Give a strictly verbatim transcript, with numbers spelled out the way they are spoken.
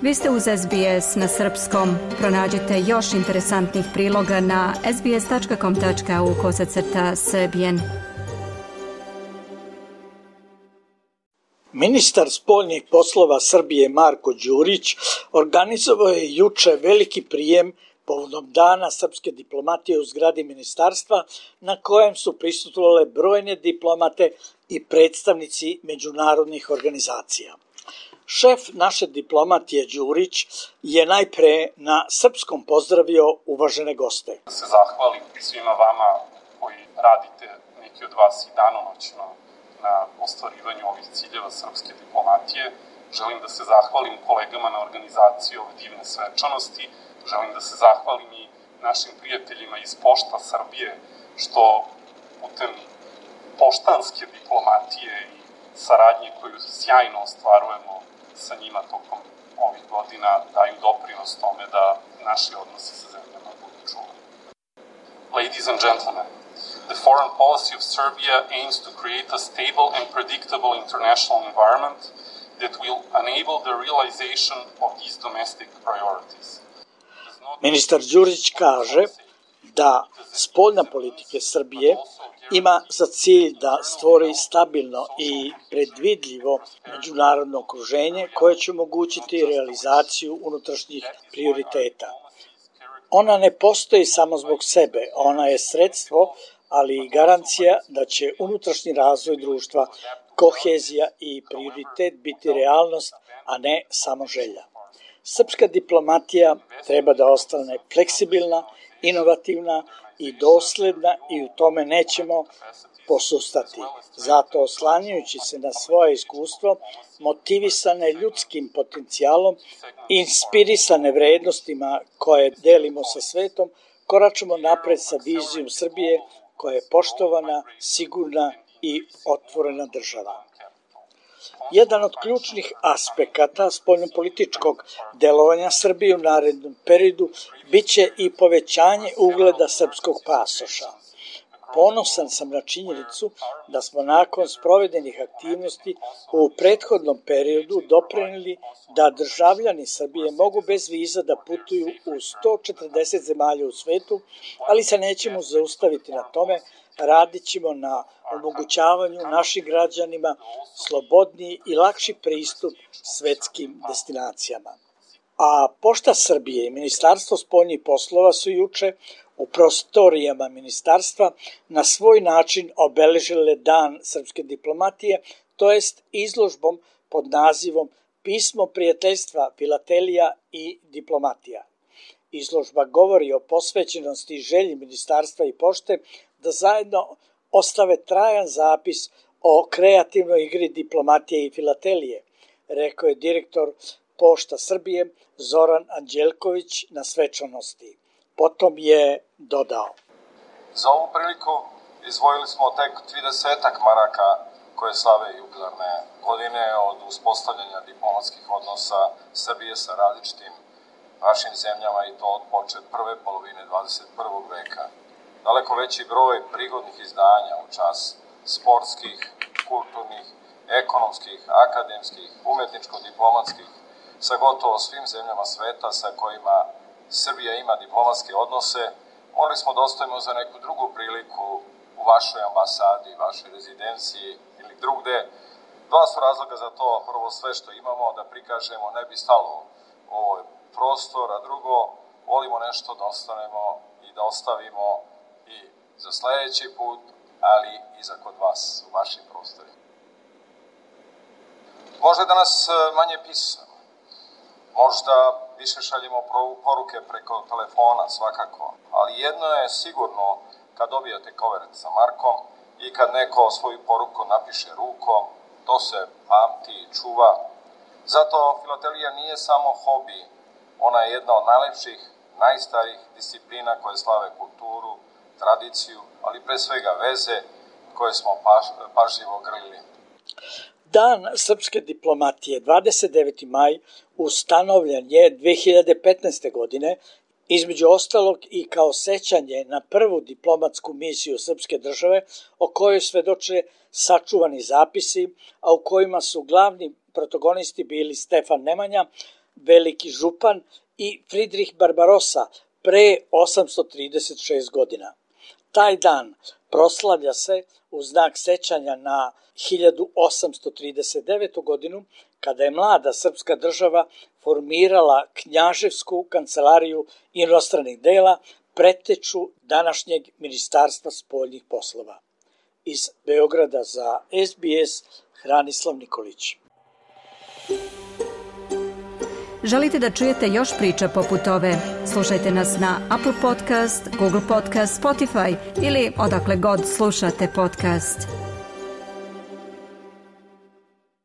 Vi ste uz S B S na srpskom. Pronađite još interesantnih priloga na sbs.com.au kosacrta srbijen. Ministar spoljnih poslova Srbije Marko Đurić organizovao je juče veliki prijem povodom Dana srpske diplomatije u zgradi ministarstva, na kojem su prisustvovale brojne diplomate i predstavnici međunarodnih organizacija. Šef naše diplomatije Đurić je najpre na srpskom pozdravio uvažene goste. Da se zahvalim svima vama koji radite, neki od vas i danonoćno, na ostvarivanju ovih ciljeva srpske diplomatije. Želim da se zahvalim kolegama na organizaciji ove divne svečanosti. Želim da se zahvalim i našim prijateljima iz Pošta Srbije, što putem poštanske diplomatije i saradnje koju sjajno ostvarujemo sa njima tokom ovih godina daju doprinos tome da naši odnosi sa zemljama budu čuvani. Ladies and gentlemen, the foreign policy of Serbia aims to create a stable and predictable international environment that will enable the realization of these domestic priorities. Ministar Đurić kaže da spoljna politika Srbije ima za cilj da stvori stabilno i predvidljivo međunarodno okruženje koje će omogućiti realizaciju unutrašnjih prioriteta. Ona ne postoji samo zbog sebe, ona je sredstvo, ali i garancija da će unutrašnji razvoj društva, kohezija i prioritet biti realnost, a ne samo želja. Srpska diplomatija treba da ostane fleksibilna, inovativna i dosledna i u tome nećemo posustati. Zato, oslanjajući se na svoje iskustvo, motivisane ljudskim potencijalom, inspirisane vrednostima koje delimo sa svetom, koračamo napred sa vizijom Srbije koja je poštovana, sigurna i otvorena država. Jedan od ključnih aspekata spoljnopolitičkog delovanja Srbije u narednom periodu biće i povećanje ugleda srpskog pasoša. Ponosan sam na činjenicu da smo nakon sprovedenih aktivnosti u prethodnom periodu doprineli da državljani Srbije mogu bez viza da putuju u sto četrdeset zemalja u svetu, ali se nećemo zaustaviti na tome, radit ćemo na omogućavanju našim građanima slobodniji i lakši pristup svetskim destinacijama. A Pošta Srbije i Ministarstvo spoljnih poslova su juče u prostorijama ministarstva na svoj način obeležile Dan srpske diplomatije, to jest izložbom pod nazivom Pismo prijateljstva, filatelija i diplomatija. Izložba govori o posvećenosti i želji ministarstva i pošte da zajedno ostave trajan zapis o kreativnoj igri diplomatije i filatelije, rekao je direktor Pošta Srbije Zoran Anđelković na svečanosti. Potom je dodao. Za ovu priliku izdvojili smo tek tridesetak maraka koje slave jubilarne godine od uspostavljanja diplomatskih odnosa Srbije sa različitim našim zemljama i to od počet prve polovine dvadeset prvog veka. Daleko veći broj prigodnih izdanja u čas sportskih, kulturnih, ekonomskih, akademskih, umetničko-diplomatskih sa gotovo svim zemljama sveta sa kojima Srbija ima diplomatske odnose, morali smo da ostajemo za neku drugu priliku u vašoj ambasadi, vašoj rezidenciji ili drugde. Dva su razloga za to. Prvo, sve što imamo da prikažemo ne bi stalo u ovoj prostor, a drugo, volimo nešto da ostanemo i da ostavimo i za sledeći put, ali i za kod vas, u vašim prostorima. Možda je danas manje pisano, možda više šaljemo poruke preko telefona svakako, ali jedno je sigurno kad dobijete kovert sa markom i kad neko svoju poruku napiše rukom, to se pamti i čuva. Zato filatelija nije samo hobi, ona je jedna od najlepših, najstarijih disciplina koje slave kulturu, tradiciju, ali pre svega veze koje smo paž, pažljivo grlili. Dan srpske diplomatije, dvadeset deveti maj, ustanovljen je dve hiljade petnaeste. godine, između ostalog i kao sećanje na prvu diplomatsku misiju srpske države, o kojoj svedoče sačuvani zapisi, a u kojima su glavni protagonisti bili Stefan Nemanja, veliki župan, i Friedrich Barbarossa pre osamsto trideset šest godina. Taj dan proslavlja se u znak sećanja na hiljadu osamsto trideset devetu. godinu, kada je mlada srpska država formirala knjaževsku kancelariju inostranih dela, preteču današnjeg Ministarstva spoljnih poslova. Iz Beograda za S B S, Hranislav Nikolić. Želite da čujete još priča poput ove? Slušajte nas na Apple Podcast, Google Podcast, Spotify ili odakle god slušate podcast.